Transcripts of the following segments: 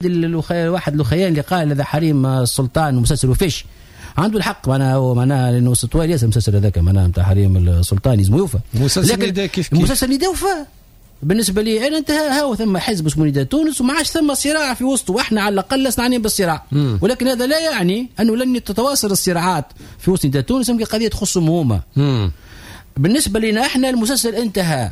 واحد الخيال اللي قال هذا حريم السلطان ومسلسل وفيش عنده الحق، معناها لانه طويل ياسر المسلسل هذاك، معناها نتاع حريم السلطان لازم يوفى. مسلسل نداء كيف كيف مسلسل نداء وفى بالنسبة لي انا انتهى. هاو ثم حزب اسمه نداء تونس وما عادش ثم صراع في وسطه، واحنا على الاقل لسنا عنين بالصراع. ولكن هذا لا يعني انه لن تتواصل الصراعات في وسط نداء تونس، يمكن قضية تخصهم هما. بالنسبة لنا احنا المسلسل انتهى.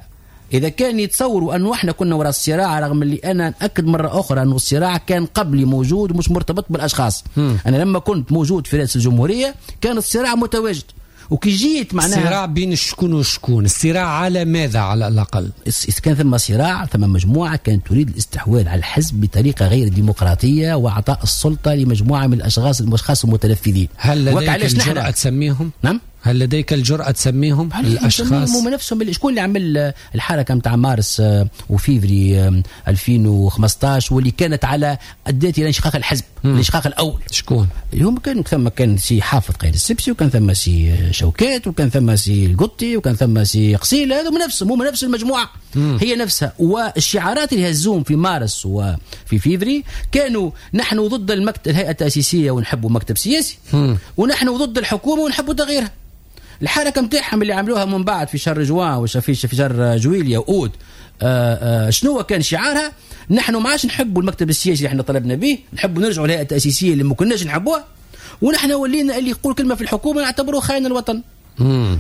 إذا كان يتصوروا أنه احنا كنا وراء الصراع، رغم اللي أنا أكد مرة أخرى أنه الصراع كان قبلي موجود ومش مرتبط بالأشخاص. أنا لما كنت موجود في رئاسة الجمهورية كان الصراع متواجد، وكي جيت معناها الصراع بين شكون وشكون؟ الصراع على ماذا على الأقل؟ إذا كان ثم صراع، ثم مجموعة كانت تريد الاستحواذ على الحزب بطريقة غير ديمقراطية وإعطاء السلطة لمجموعة من الأشخاص المتنفذين. هل لديك الجرأة تسميهم؟ نعم؟ هل لديك الجرأة تسميهم الأشخاص؟ هم نفسهم. شكون اللي عمل الحركة نتاع مارس وفيفري 2015 واللي كانت على أدت إلى انشقاق الحزب، الانشقاق الأول؟ شكون؟ هم كانوا ثم كان سي حافظ قايد السبسي، وكان ثم سي شوكات، وكان ثم سي القطي، وكان ثم سي قصيل. هذو نفسهم، هم نفس المجموعة. هي نفسها. والشعارات اللي هزوهم في مارس وفي فيفري كانوا نحن ضد المكتب الهيئة التأسيسية ونحبوا مكتب سياسي، ونحن ضد الحكومة ونحبوا تغييرها. الحركة نتاعهم اللي عملوها من بعد في شهر جوان وفي شهر جويليا واوت، شنو كان شعارها؟ نحن ما عادش نحبوا المكتب السياسي اللي احنا طلبنا به، نحبوا نرجعوا للهيئة التاسيسية اللي ما كناش نحبوها، ونحن ولينا اللي يقول كلمة في الحكومة نعتبروه خاين الوطن.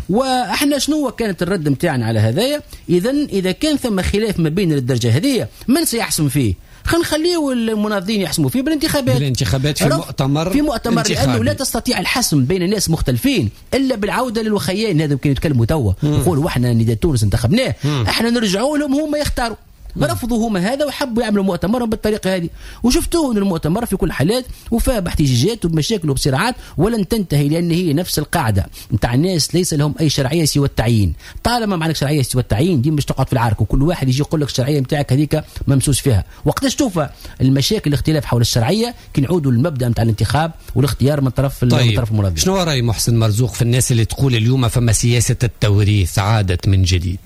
واحنا شنو كانت الرد نتاعنا على هذايا؟ اذا كان ثم خلاف ما بين الدرجة هذه، من سيحسم فيه؟ خلينا نخليه المناضلين يحسموا فيه بالانتخابات. بالانتخابات في مؤتمر، في مؤتمر، لانه لا تستطيع الحسم بين ناس مختلفين الا بالعودة للوخيان. هذا يمكن يتكلموا توا يقولوا احنا نداء تونس انتخبناه، احنا نرجعوا لهم هما يختاروا. رفضوا هما هذا وحبوا يعملوا مؤتمرهم بالطريقة هذه، وشفتوه ان المؤتمر في كل حالات وفاه باحتجاجات وبمشاكل وبصراعات ولن تنتهي، لان هي نفس القاعدة نتاع الناس ليس لهم اي شرعية سوى التعيين. طالما ما عندك شرعية سوى التعيين ديما باش تقعد في العرك، وكل واحد يجي يقول لك الشرعية نتاعك هذيك ممسوس فيها. وقتاش توفى المشاكل الاختلاف حول الشرعية؟ كي نعودوا للمبدا نتاع الانتخاب والاختيار من طرف طيب. من طرف المنظمة. شنو راي محسن مرزوق في الناس اللي تقول اليوم فما سياسة التوريث عادت من جديد؟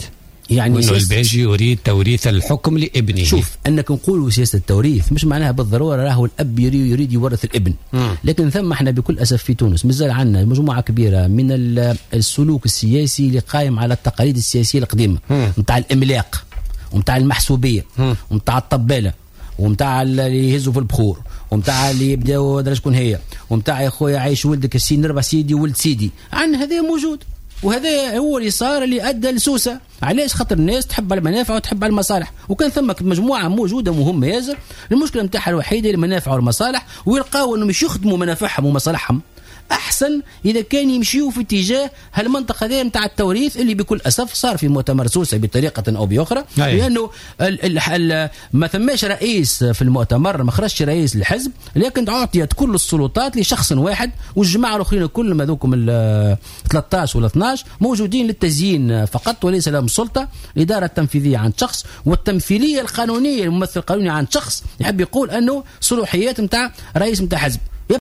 يعني وإنه الباجي يريد توريث الحكم لابنه. شوف، انك نقولوا سياسة التوريث مش معناها بالضرورة راهو الاب يريد يورث الابن. لكن ثم احنا بكل اسف في تونس مازال عندنا مجموعة كبيرة من السلوك السياسي اللي قايم على التقاليد السياسية القديمة، نتاع الاملاق ونتاع المحسوبيه ونتاع الطباله ومتاع اللي يهزوا في البخور ومتاع اللي يبداو درا شكون هي ومتاع يا خويا عايش ولدك السين ربع سيدي ولد سيدي. عندنا هذا موجود، وهذا هو اللي صار اللي ادى لسوسه. علاش؟ خاطر الناس تحب المنافع وتحب المصالح، وكان ثم مجموعة موجودة مهمة ياسر المشكلة نتاعها الوحيدة المنافع والمصالح، ويلقاو انهم مش يخدموا منافعهم ومصالحهم احسن اذا كان يمشيوا في اتجاه هالمنطقة هذه نتاع التوريث اللي بكل اسف صار في مؤتمر سوسة بطريقة او باخرى. لانه ما ثماش رئيس في المؤتمر، ما خرجش رئيس الحزب، لكن اعطيت كل السلطات لشخص واحد، والجماعة الاخرين كلهم هذوكم ال 13 ولا 12 موجودين للتزيين فقط وليس لهم سلطة. الادارة التنفيذية عند شخص، والتمثيليه القانونية الممثل القانوني عند شخص يحب يقول انه صلاحيات نتاع رئيس نتاع حزب.